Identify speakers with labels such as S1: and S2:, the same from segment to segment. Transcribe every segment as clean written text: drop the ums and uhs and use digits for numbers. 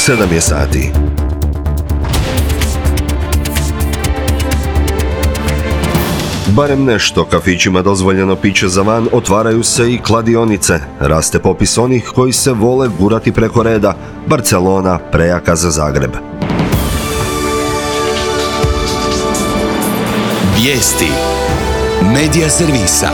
S1: 7 je sati. Barem nešto kafićima dozvoljeno piće za van, otvaraju se i kladionice. Raste popis onih koji se vole gurati preko reda. Barcelona prejaka za Zagreb.
S2: Vijesti Medija servisa.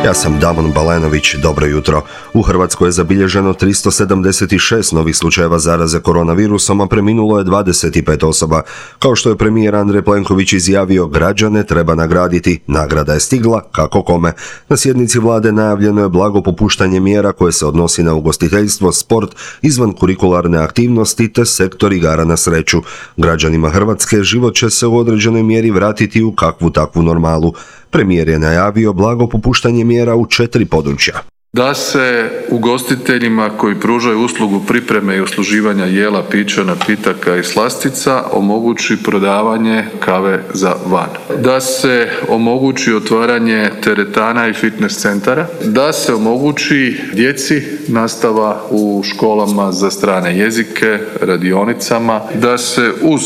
S1: Ja sam Damon Balenović, dobro jutro. U Hrvatskoj je zabilježeno 376 novih slučajeva zaraze koronavirusom, a preminulo je 25 osoba. Kao što je premijer Andrej Plenković izjavio, građane treba nagraditi. Nagrada je stigla, kako kome. Na sjednici vlade najavljeno je blago popuštanje mjera koje se odnosi na ugostiteljstvo, sport, izvan kurikularne aktivnosti te sektor igara na sreću. Građanima Hrvatske život će se u određenoj mjeri vratiti u kakvu takvu normalu. Premijer je najavio blago popuštanje mjera u 4 područja.
S3: Da se ugostiteljima koji pružaju uslugu pripreme i usluživanja jela, pića, napitaka i slastica omogući prodavanje kave za van. Da se omogući otvaranje teretana i fitness centara. Da se omogući djeci nastava u školama za strane jezike, radionicama. Da se uz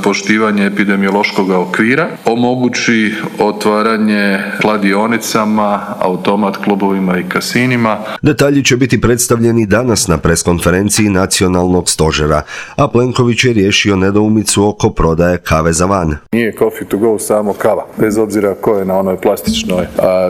S3: poštivanje epidemiološkog okvira omogući otvaranje kladionicama, automat klubovima i kasinima.
S1: Detalji će biti predstavljeni danas na preskonferenciji Nacionalnog stožera, a Plenković je riješio nedoumicu oko prodaje kave za van.
S3: Nije coffee to go samo kava, bez obzira ko je na onoj plastičnoj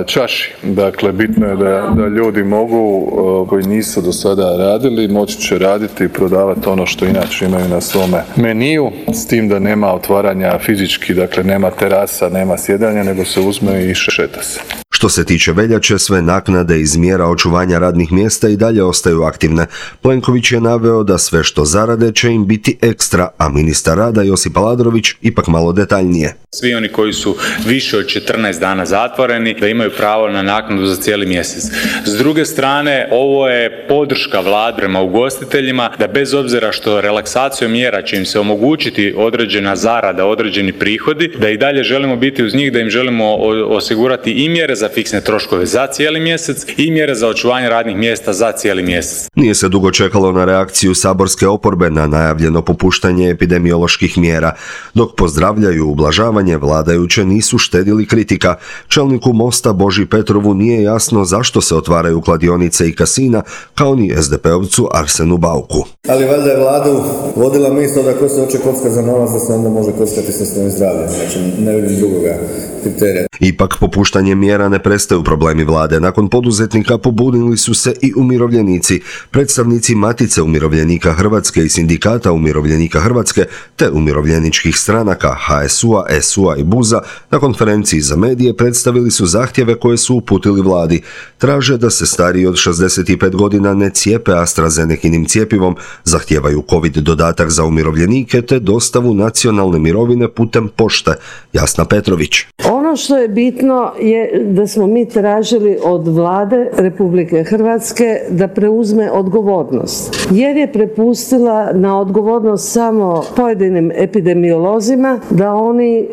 S3: čaši. Dakle, bitno je da ljudi mogu, koji nisu do sada radili, moći će raditi i prodavati ono što inače imaju na svome meniju, s tim da nema otvaranja fizički, dakle nema terasa, nema sjedanja, nego se uzme i šeta se.
S1: Što se tiče veljače, sve naknade iz mjera očuvanja radnih mjesta i dalje ostaju aktivne. Plenković je naveo da sve što zarade će im biti ekstra, a ministar rada Josip Aladrović ipak malo detaljnije.
S4: Svi oni koji su više od 14 dana zatvoreni, da imaju pravo na naknadu za cijeli mjesec. S druge strane, ovo je podrška vlade prema ugostiteljima, da bez obzira što relaksacijom mjera će im se omogućiti određena zarada, određeni prihodi, da i dalje želimo biti uz njih, da im želimo osigurati i mjere za fiksne troškove za cijeli mjesec i mjere za očuvanje radnih mjesta za cijeli mjesec.
S1: Nije se dugo čekalo na reakciju saborske oporbe na najavljeno popuštanje epidemioloških mjera. Dok pozdravljaju ublažavanje, vladajuće nisu štedili kritika. Čelniku Mosta Boži Petrovu nije jasno zašto se otvaraju kladionice i kasina, kao ni SDP-ovcu Arsenu Bauku.
S5: Ali valjda je vladu vodila misao da ko se hoće kocka za novac, da se onda može kockati sa svojim zdravljem. Znači, ne vidim drugoga kriterija.
S1: Ipak popuštanje mjera ne prestaju problemi vlade. Nakon poduzetnika pobunili su se i umirovljenici. Predstavnici Matice umirovljenika Hrvatske i Sindikata umirovljenika Hrvatske te umirovljeničkih stranaka HSU-a, SU-a i BUZ-a na konferenciji za medije predstavili su zahtjeve koje su uputili vladi. Traže da se stariji od 65 godina ne cijepe AstraZenekinim cjepivom, zahtijevaju COVID dodatak za umirovljenike te dostavu nacionalne mirovine putem pošte. Jasna Petrović.
S6: Ono što je bitno je da smo mi tražili od vlade Republike Hrvatske da preuzme odgovornost, jer je prepustila na odgovornost samo pojedinim epidemiolozima da oni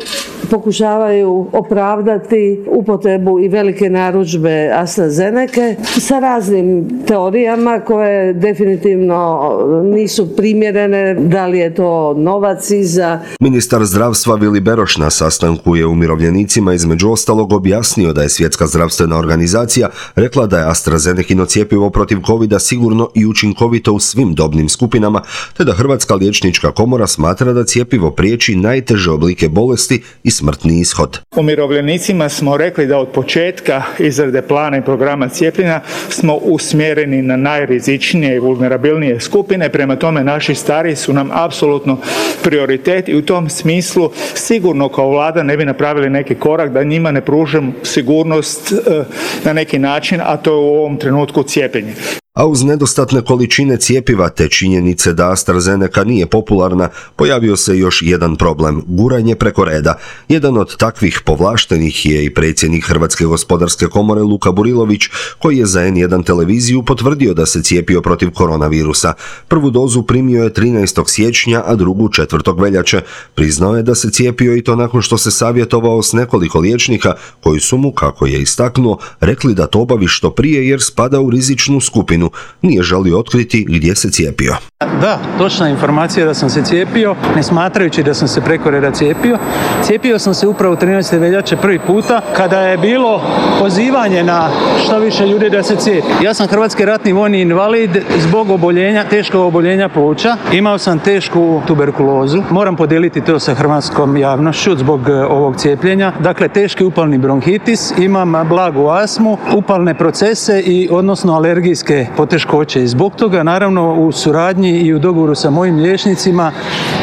S6: pokušavaju opravdati upotrebu i velike narudžbe AstraZeneke sa raznim teorijama koje definitivno nisu primjerene, da li je to novac iza.
S1: Ministar zdravstva Vili Beroš na sastanku je umirovljenicima između ostalog objasnio da je Svjetska zdravstvena organizacija rekla da je AstraZenekino cjepivo protiv covida sigurno i učinkovito u svim dobnim skupinama, te da Hrvatska liječnička komora smatra da cjepivo priječi najteže oblike bolesti i smrtni ishod.
S7: Umirovljenicima smo rekli da od početka izrade plana i programa cijepljenja smo usmjereni na najrizičnije i vulnerabilnije skupine, prema tome naši stariji su nam apsolutno prioritet i u tom smislu sigurno kao vlada ne bi napravili neki korak da njima ne pružimo sigurnost na neki način, a to je u ovom trenutku cijepljenje.
S1: A uz nedostatne količine cjepiva te činjenice da AstraZeneca nije popularna, pojavio se još jedan problem – guranje preko reda. Jedan od takvih povlaštenih je i predsjednik Hrvatske gospodarske komore Luka Burilović, koji je za N1 televiziju potvrdio da se cijepio protiv koronavirusa. Prvu dozu primio je 13. siječnja, a drugu 4. veljače. Priznao je da se cijepio i to nakon što se savjetovao s nekoliko liječnika koji su mu, kako je istaknuo, rekli da to obavi što prije jer spada u rizičnu skupinu. istinu, nije želio otkriti gdje se cijepio.
S8: Da, točna informacija da sam se cijepio, ne smatrajući da sam se preko reda cijepio. Cijepio sam se upravo 13. veljače prvi puta kada je bilo pozivanje na što više ljudi da se cijepi. Ja sam hrvatski ratni vojni invalid zbog teškog oboljenja pluća. Imao sam tešku tuberkulozu. Moram podijeliti to sa hrvatskom javnošću zbog ovog cijepljenja. Dakle, teški upalni bronhitis, imam blagu astmu, upalne procese i odnosno alergijske poteškoće. I zbog toga, naravno, u suradnji i u dogovoru sa mojim liječnicima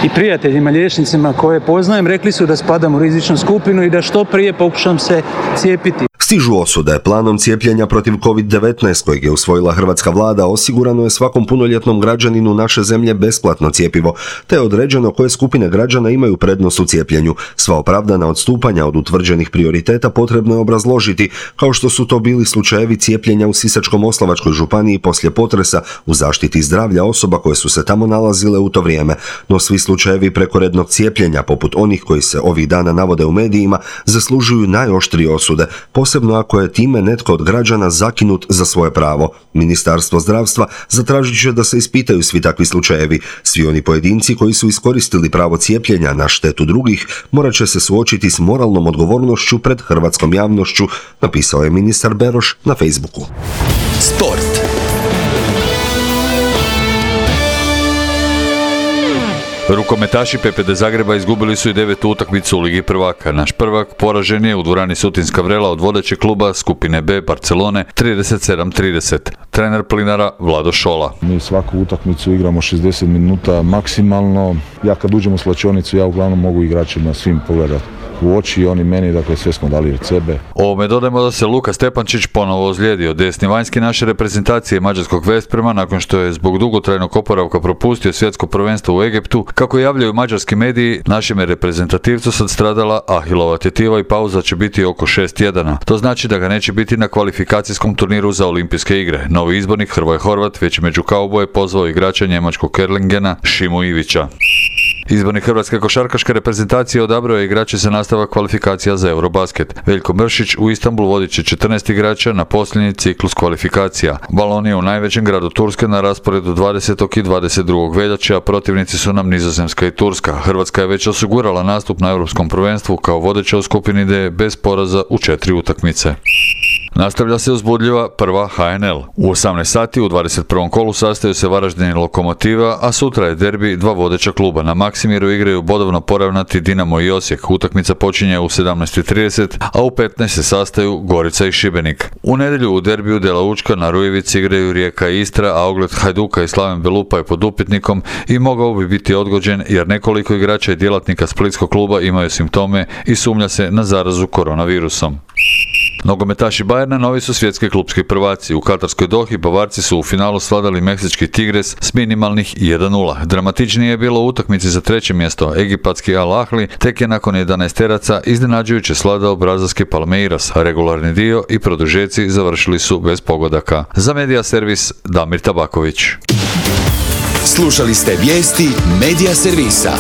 S8: i prijateljima liječnicima koje poznajem, rekli su da spadam u rizičnu skupinu i da što prije pokušam se cijepiti.
S1: Stižu osude. Planom cijepljenja protiv COVID-19 kojeg je usvojila hrvatska vlada osigurano je svakom punoljetnom građaninu naše zemlje besplatno cjepivo, te je određeno koje skupine građana imaju prednost u cijepljenju. Sva opravdana odstupanja od utvrđenih prioriteta potrebno je obrazložiti, kao što su to bili slučajevi cijepljenja u Sisačko-moslavačkoj županiji poslije potresa u zaštiti zdravlja osoba koje su se tamo nalazile u to vrijeme. No svi slučajevi prekorednog cijepljenja, poput onih koji se ovih dana navode u medijima, zaslužuju najoštrije osude, posebno ako je time netko od građana zakinut za svoje pravo. Ministarstvo zdravstva zatražit će da se ispitaju svi takvi slučajevi. Svi oni pojedinci koji su iskoristili pravo cijepljenja na štetu drugih morat će se suočiti s moralnom odgovornošću pred hrvatskom javnošću, napisao je ministar Beroš na Facebooku.
S2: Sport.
S9: Rukometaši PPD Zagreba izgubili su i 9. utakmicu u Ligi prvaka. Naš prvak poražen je u dvorani Sutinska Vrela od vodećeg kluba skupine B Barcelone 37-30. Trener Plinara Vlado Šola.
S10: Mi svaku utakmicu igramo 60 minuta maksimalno. Ja kad uđem u slačionicu, ja uglavnom mogu igračima svim pogledati u oči, oni meni, dakle sve smo dali od sebe.
S9: Ovome dodajmo da se Luka Stepančić ponovo ozlijedio. Desni vanjski naše reprezentacije mađarskog Vesprema nakon što je zbog dugotrajnog oporavka propustio svjetsko prvenstvo u Egiptu. Kako javljaju mađarski mediji, našem je reprezentativcu sad stradala ahilova tjetiva i pauza će biti oko 6 tjedana. To znači da ga neće biti na kvalifikacijskom turniru za olimpijske igre. Novi izbornik Hrvoje Horvat već među kauboje pozvao igrača njemačkog Erlingena Šimu Ivića. Izbornik hrvatske košarkaške reprezentacije odabrao je igrače za nastavak kvalifikacija za Eurobasket. Veljko Mršić u Istanbul vodit će 14 igrača na posljednji ciklus kvalifikacija. Balon je u najvećem gradu Turske na rasporedu 20. i 22. veljače, a protivnici su nam Nizozemska i Turska. Hrvatska je već osigurala nastup na Europskom prvenstvu kao vodeća u skupini D bez poraza u 4 utakmice. Nastavlja se uzbudljiva prva HNL. U 18 sati u 21. kolu sastaju se Varaždin i Lokomotiva, a sutra je derbi dva vodeća kluba. Na Maksimiru igraju bodovno poravnati Dinamo i Osijek. Utakmica počinje u 17:30, a u 15 se sastaju Gorica i Šibenik. U nedjelju u derbiju Dela Učka na Rujevici igraju Rijeka i Istra, a ogled Hajduka i Slaven Belupa je pod upitnikom i mogao bi biti odgođen jer nekoliko igrača i djelatnika splitskog kluba imaju simptome i sumnja se na zarazu koronavirusom. Nogometaši Bayerna novi su svjetski klupski prvaci. U Katarskoj Dohi Bavarci su u finalu svladali meksički Tigres s minimalnih 1:0. Dramatičnije je bilo u utakmici za treće mjesto. Egipatski Al Ahli tek je nakon 11 teraca iznenađujuće svladao brazilski Palmeiras. Regularni dio i produžeci završili su bez pogodaka. Za Medija servis Damir Tabaković.
S2: Slušali ste vijesti Medija servisa.